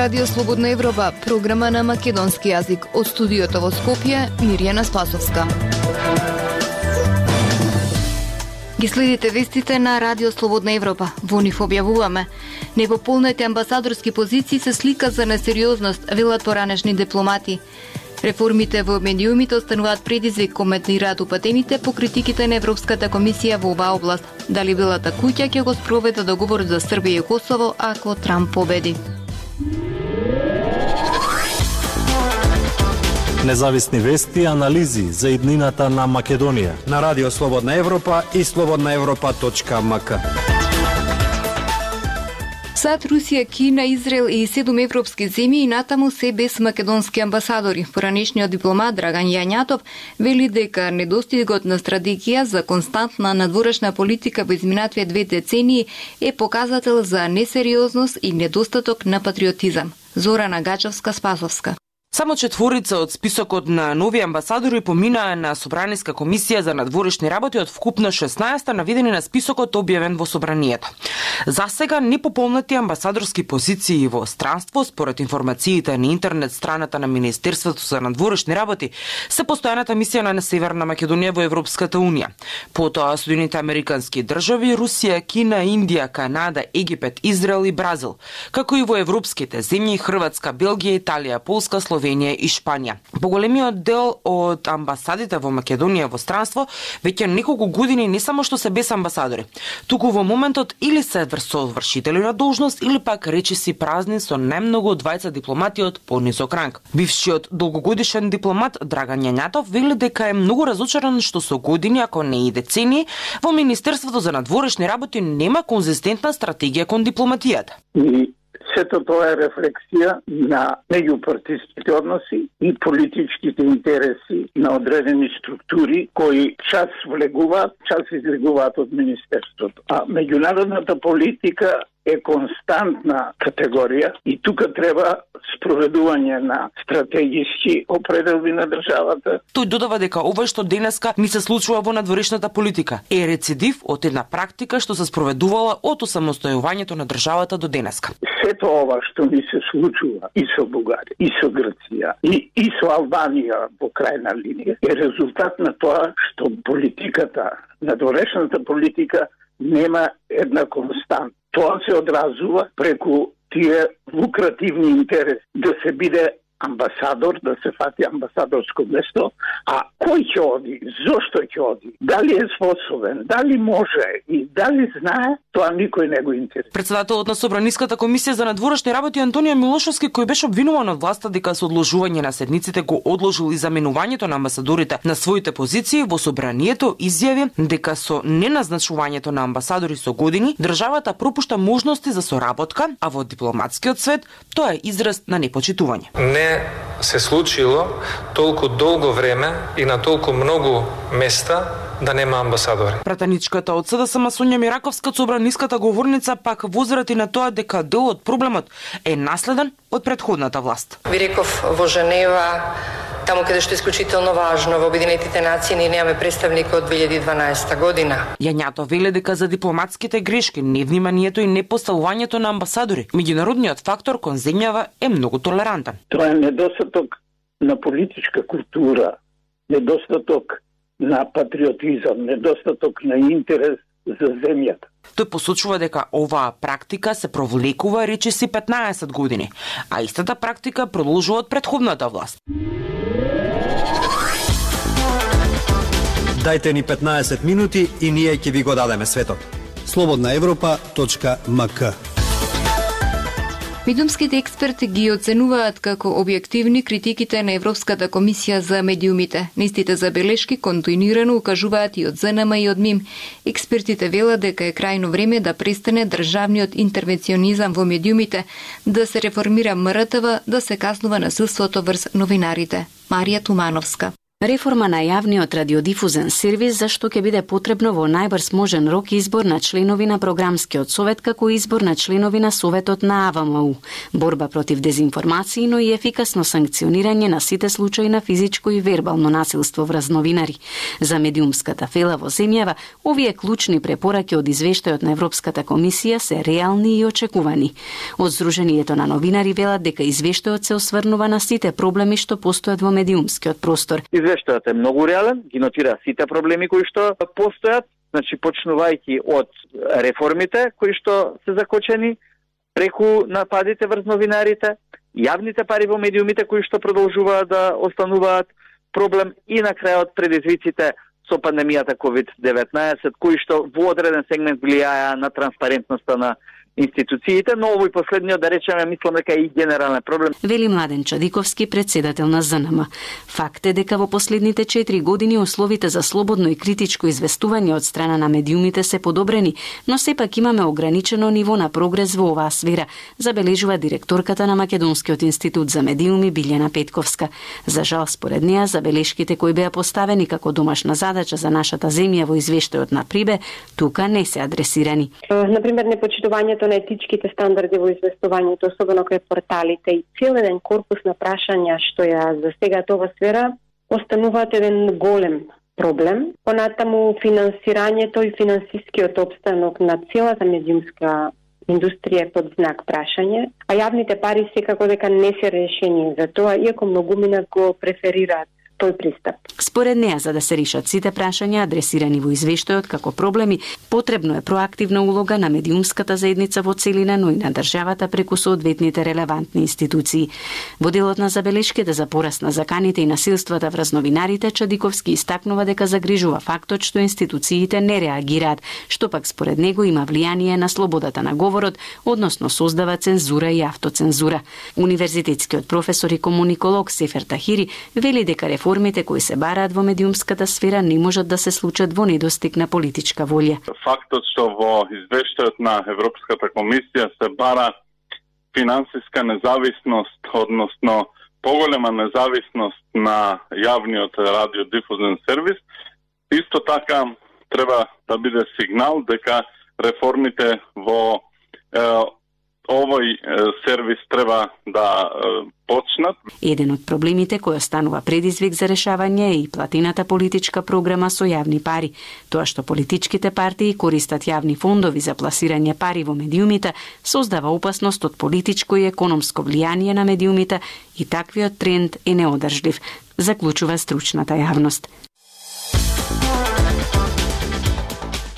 Радио Слободна Европа, програма на македонски јазик. Од студиото во Скопје, Мирјана Спасовска. Ги следите вестите на Радио Слободна Европа. Во нив објавуваме: непополнете амбасадорски позиции се слика за несериозност, велат поранешни дипломати. Реформите во медиумите остануваат предизвик, коментираат упатените по критиките на Европската комисија во оваа област. Дали Белата куќа ќе го спроведе договорот за Србија и Косово ако Трамп победи? Независни вести и анализи за иднината на Македонија на Радио Слободна Европа и slobodnaevropa.mk. САД, Русија, Кина, Израел и 7 европски земји и натаму се без македонски амбасадори. Поранешниот дипломат Драган Јањатов вели дека недостигот на стратегија за константна надворешна политика во изминативе 2 децении е показател за несериозност и недостаток на патриотизам. Зорана Гачевска-Спасовска. Само 4 од списокот на нови амбасадори поминаа на Собраниска комисија за надворешни работи од вкупно 16 наведени на списокот објавен во Собранието. За сега непополнети амбасадорски позиции во странство, според информациите на интернет страната на Министерството за надворешни работи, се постојаната мисија на Северна Македонија во Европската унија. Потоа Соединените американски држави, Русија, Кина, Индија, Канада, Египет, Израел и Бразил, како и во европските земји Хрватска, Белгија, Италија, Полска, Словенија и Шпанија. Поголемиот дел од амбасадите во Македонија во странство веќе неколку години не само што се без амбасадори, туку во моментот или се со вршители на должност или пак речиси празни со најмногу 20 дипломати од понизок ранг. Бившиот долгогодишен дипломат Драган Јањатов вели дека е многу разочаран што со години, ако не и децении, во Министерството за надворешни работи нема конзистентна стратегија кон дипломатијата. Сето тоа е рефлексија на меѓупартиските односи и политичките интереси на одредени структури кои час влегуваат, час излегуваат од Министерството. А меѓународната политика е константна категорија и тука треба спроведување на стратегиски определби на државата. Тој додава дека ова што денеска ни се случува во надворешната политика е рецидив од една практика што се спроведувала од осамостојувањето на државата до денеска. Сето ова што ни се случува и со Бугарија, и со Грција, и со Албанија во крајна линија е резултат на тоа што политиката, надворешната политика нема една констант. Тоа се одразува преку тие лукративни интереси да се биде амбасадор, да се фати амбасадорско место, а кој ќе оди, зошто ќе оди, дали е способен, дали може и дали знае, тоа никој не го интересира. Председателот на Собраниската комисија за надворешни работи Антонио Милошовски, кој беше обвинуван од власта дека со одложување на седниците го одложил и заменувањето на амбасадорите на своите позиции во Собранието, изјави дека со неназначувањето на амбасадори со години, државата пропушта можности за соработка, а во дипломатскиот свет тоа е израз на непочитување. Не се случило толку долго време и на толку многу места да нема амбасадори. Пратеничката од СДСМ Сонја Мираковска, собраниската говорница, пак возрати на тоа дека дел од проблемот е наследен од претходната власт. Ви реков во Женева, таму каде што е исклучително важно, во Обединетите нации ние немаме представник од 2012 година. Јањато вели дека за дипломатските грешки, невниманието и непоставувањето на амбасадори, меѓународниот фактор кон земјава е многу толерантен. Тоа е недостаток на политичка култура, недостаток на патриотизам, недостаток на интерес за земјата. Тој посочува дека оваа практика се провлекува речиси 15 години, а истата практика продолжува од претходната власт. Дајте ни 15 минути и ние ќе ви го дадеме светот. slobodnaevropa.mk. Медиумските експерти ги оценуваат како објективни критиките на Европската комисија за медиумите. Нистите забелешки континуирано укажуваат и од ЗНМ и од МИМ. Експертите велат дека е крајно време да престане државниот интервенционизам во медиумите, да се реформира МРТВ, да се казнува насилството врз новинарите. Марија Тумановска. Реформа на јавниот радиодифузен сервис, зашто ќе биде потребно во најбрз можен рок избор на членови на програмскиот совет, како избор на членови на советот на АВМУ, борба против дезинформации, но и ефикасно санкционирање на сите случаи на физичко и вербално насилство врз новинари. За медиумската фела во земјава, овие клучни препораки од извештајот на Европската комисија се реални и очекувани. Од Сдруженијето на новинари велат дека извештајот се осврнува на сите проблеми што постојат во медиумскиот простор. Извештајот е многу реален, ги нотира сите проблеми кои што постојат, значи почнувајќи од реформите кои што се закочени, преку нападите врз новинарите, јавните пари во медиумите кои што продолжуваат да остануваат проблем и на крајот предизвиците со пандемијата COVID-19, кои што во одреден сегмент влијаја на транспарентноста на институциите, но овој последниот, да речеме, мислам дека е и генерален проблем. Вели Младен Чадиковски, председател на ЗНМ. Факт е дека во последните 4 години условите за слободно и критичко известување од страна на медиумите се подобрени, но сепак имаме ограничено ниво на прогрес во оваа сфера, забележува директорката на Македонскиот институт за медиуми Билјана Петковска. За жал, според неа, забелешките кои беа поставени како домашна задача за нашата земја во извештајот на Прибе, тука не се адресирани. Например, непочитувањето на етичките стандарди во известувањето, особено кај порталите и цел еден корпус на прашања што ја засегаат ова сфера, остануваат еден голем проблем. Понатаму финансирањето и финансискиот обстанок на целата медиумска индустрија е под знак прашање, а јавните пари секако дека не се решение за тоа, иако многумина го преферираат тој пристап. Според неа, за да се решат сите прашања адресирани во извештајот како проблеми, потребно е проактивна улога на медиумската заедница во целина, но и на државата преку соодветните релевантни институции. Во делот на забелешките за пораст на заканите и насилствата врз новинарите, Чадиковски истакнува дека загрижува фактот што институциите не реагираат, што пак според него има влијание на слободата на говорот, односно создава цензура и автоцензура. Универзитетскиот професор и комуниколог Сефер Тахири вели дека реформите кои се бараат во медиумската сфера не можат да се случат во недостиг на политичка волја. Фактот што во извештајот на Европската комисија се бара финансиска независност, односно поголема независност на јавниот радиодифузен сервис, исто така треба да биде сигнал дека реформите во овој сервис треба да почнат. Еден од проблемите кој останува предизвик за решавање е и платината политичка програма со јавни пари. Тоа што политичките партии користат јавни фондови за пласирање пари во медиумите создава опасност од политичко и економско влијание на медиумите и таквиот тренд е неодржлив, заклучува стручната јавност.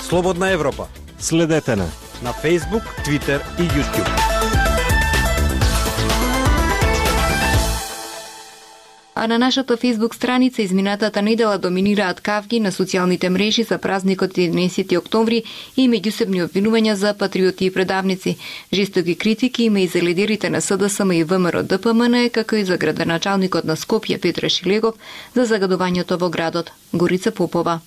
Слободна Европа. Следете на Facebook, Twitter и YouTube. А на нашата Facebook страница изминатата недела доминираат кавги на социјалните мрежи за празникот 11 октомври и меѓусебни обвинувања за патриоти и предавници. Жестоки критики има и за лидерите на СДСМ и ВМРО ДПМН, како и за градоначалникот на Скопје Петра Шилегов за загадувањето во градот. Горица Попова.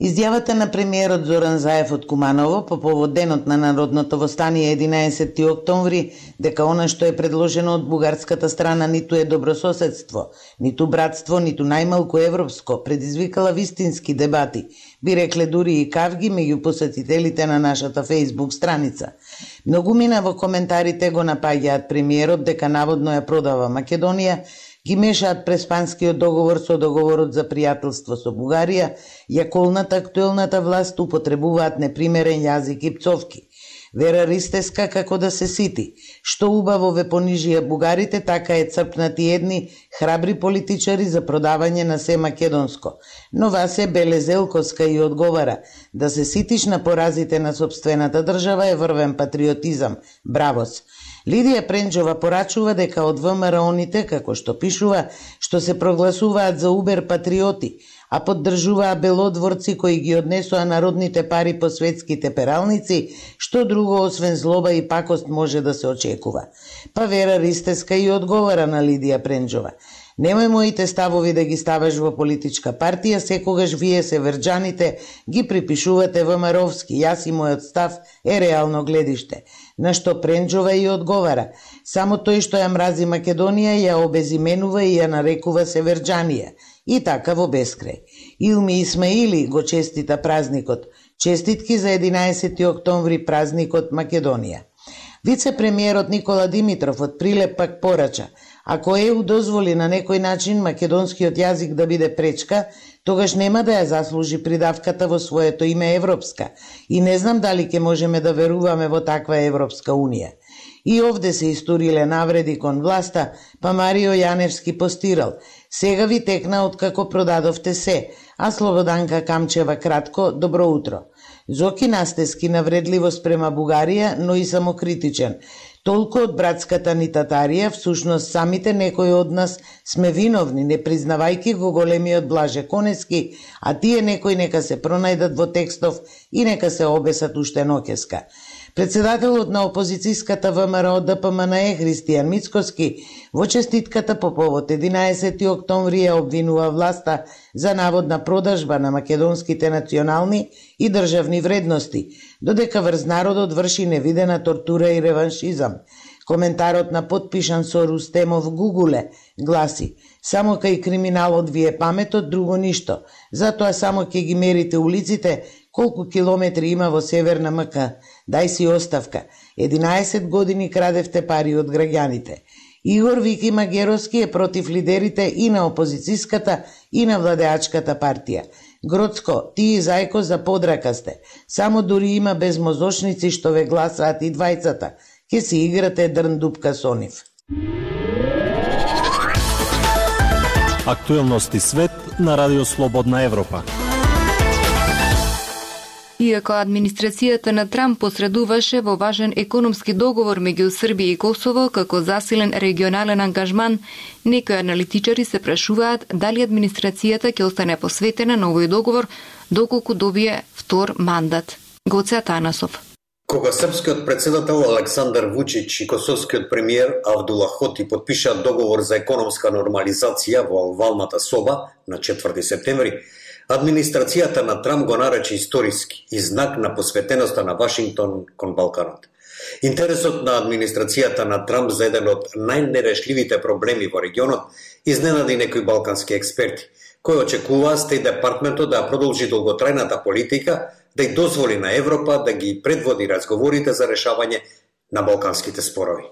Изјавата на премиерот Зоран Заев од Куманово по повод денот на народното востание 11 октомври дека она што е предложено од бугарската страна ниту е добрососедство, ниту братство, ниту најмалку европско, предизвикала вистински дебати, би рекле дури и кавги меѓу посетителите на нашата Facebook страница. Многумина во коментарите го напаѓаат премиерот дека наводно ја продава Македонија, ги мешаат преспанскиот договор со договорот за пријателство со Бугарија, ја колната актуелната власт употребуваат непримерен јазик и пцовки. Вера Ристеска како да се сити, што убаво ве понижија бугарите, така е црпнати едни храбри политичари за продавање на се македонско. Но Васе Белезелковска и одговара, да се ситиш на поразите на собствената држава е врвен патриотизам, бравос. Лидија Пренџова порачува дека од ВМРО-ните, како што пишува, што се прогласуваат за убер патриоти, а поддржуваа белодворци кои ги однесоа народните пари по светските пералници, што друго освен злоба и пакост може да се очекува. Па Вера Ристеска и одговара на Лидија Пренџова. Немој моите ставови да ги ставаш во политичка партија, секогаш вие северџаните ги припишувате ВМРО-вски, јас и мојот став е реално гледиште. На што Пренџова и одговара, само тој што ја мрази Македонија ја обезименува и ја нарекува северџанија. и така во бескрај. Илми Исмаили го честита празникот. Честитки за 11 октомври, празникот Македонија. Вице-премиерот Никола Димитров од Прилеп пак порача: ако ЕУ дозволи на некој начин македонскиот јазик да биде пречка, тогаш нема да ја заслужи придавката во своето име Европска. И не знам дали ќе можеме да веруваме во таква Европска Унија. И овде се историле навреди кон власта, па Марио Јаневски постирал: сега ви текна откако продадовте се, а Слободанка Камчева кратко: добро утро. Зоки Настески навредливо спрема Бугарија, но и самокритичен. Толку од братската ни татарија, всушност самите некои од нас сме виновни, не признавајки го големиот Блаже Конески, а тие некои нека се пронајдат во текстов и нека се обесат уште ноќеска. Председателот на опозицијската ВМРО ДПМНЕ Христијан Мицкоски во честитката по повод 11 октомври ја обвинува власта за наводна продажба на македонските национални и државни вредности, додека врз народот врши невидена тортура и реваншизам. Коментарот на подпишан со Рустемов Гугуле гласи: само кај криминалот ви е паметот, друго ништо. Затоа само ќе ги мерите улиците колку километри има во Северна МК. Дај си оставка. 11 години крадевте пари од граѓаните. Игор Вики Магеровски е против лидерите и на опозицијската и на владеачката партија. Гроцко, ти и Зајко за подрака сте. Само дури има безмозочници што ве гласаат и двајцата. Ке си играте дрндупка со нив. Актуелности свет на Радио Слободна Европа. Иако администрацијата на Трамп посредуваше во важен економски договор меѓу Србија и Косово како засилен регионален ангажман, некои аналитичари се прашуваат дали администрацијата ќе остане посветена на овој договор доколку добие втор мандат. Гоце Атанасов. Кога српскиот председател Александар Вучич и косовскиот премиер Авдула Хоти подпишаат договор за економска нормализација во овалната соба на 4 септември, администрацијата на Трамп го нарече историски и знак на посветеноста на Вашингтон кон Балканот. Интересот на администрацијата на Трамп за еден од најнерешливите проблеми во регионот изненади некои балкански експерти, кои очекуваа Стејт департментот да продолжи долготрајната политика да ја дозволи на Европа да ги предводи разговорите за решавање на балканските спорови.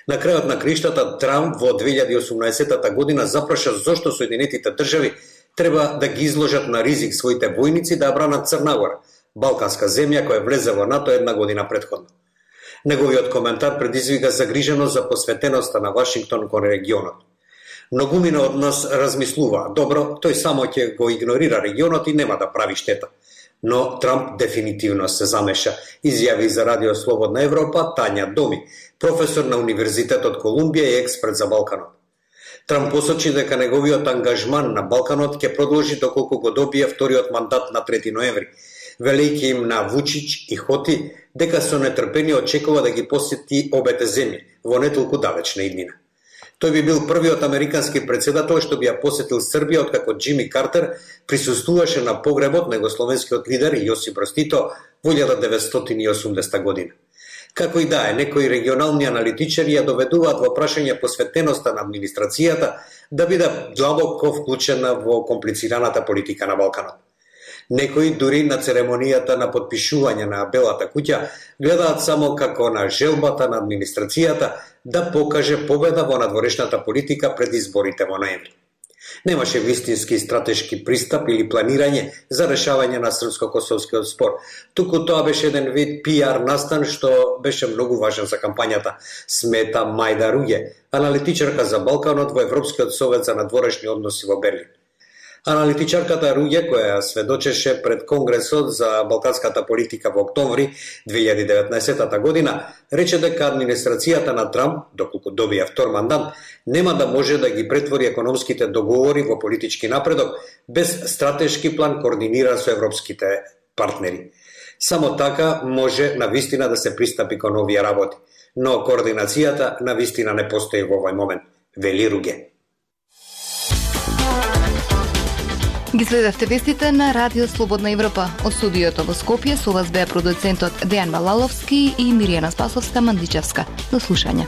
На крајот на криштата Трамп во 2018 година запраша зошто Соединетите држави треба да ги изложат на ризик своите војници да бранат Црна Гора, балканска земја која влезе во НАТО една година претходно. Неговиот коментар предизвика загриженост за посветеноста на Вашингтон кон регионот. Многумина од нас размислува: добро, тој само ќе го игнорира регионот и нема да прави штета. Но Трамп дефинитивно се замеша, изјави за Радио Слободна Европа Тања Доми, професор на Универзитетот Колумбија и експерт за Балканот. Трамп посочи дека неговиот ангажман на Балканот ќе продолжи доколку го добие вториот мандат на 3 ноември, велејќи им на Вучич и Хоти дека со нетрпение очекува да ги посети обете земји во не толку далечна иднина. Тој би бил првиот американски председател што би ја посетил Србија откако Џими Картер присуствуваше на погребот на југословенскиот лидер Јосип Брз Тито во 1980 година. Како и да е, некои регионални аналитичари ја доведуваат во прашање посветеноста на администрацијата да биде длабоко вклучена во комплицираната политика на Балканот. Некои дури на церемонијата на подпишување на Белата куќа гледаат само како на желбата на администрацијата да покаже победа во надворешната политика пред изборите во ноември. Немаше вистински стратешки пристап или планирање за решавање на српско-косовскиот спор. Туку тоа беше еден вид пиар настан што беше многу важен за кампањата, смета Мајда Руѓе, аналитичарка за Балканот во Европскиот совет за надворешни односи во Берлин. Аналитичарката Руѓе, која сведочеше пред Конгресот за балканската политика во октомври 2019 година, рече дека администрацијата на Трамп, доколку добија втор мандат, нема да може да ги претвори економските договори во политички напредок без стратешки план координиран со европските партнери. Само така може навистина да се пристапи кон овие работи, но координацијата навистина не постои во овој момент, вели Руѓе. Ги следевте вестите на Радио Слободна Европа. Од студиото во Скопје со вас беа продуцентот Дејан Малаловски и Миријана Спасовска-Мандичевска. До слушање.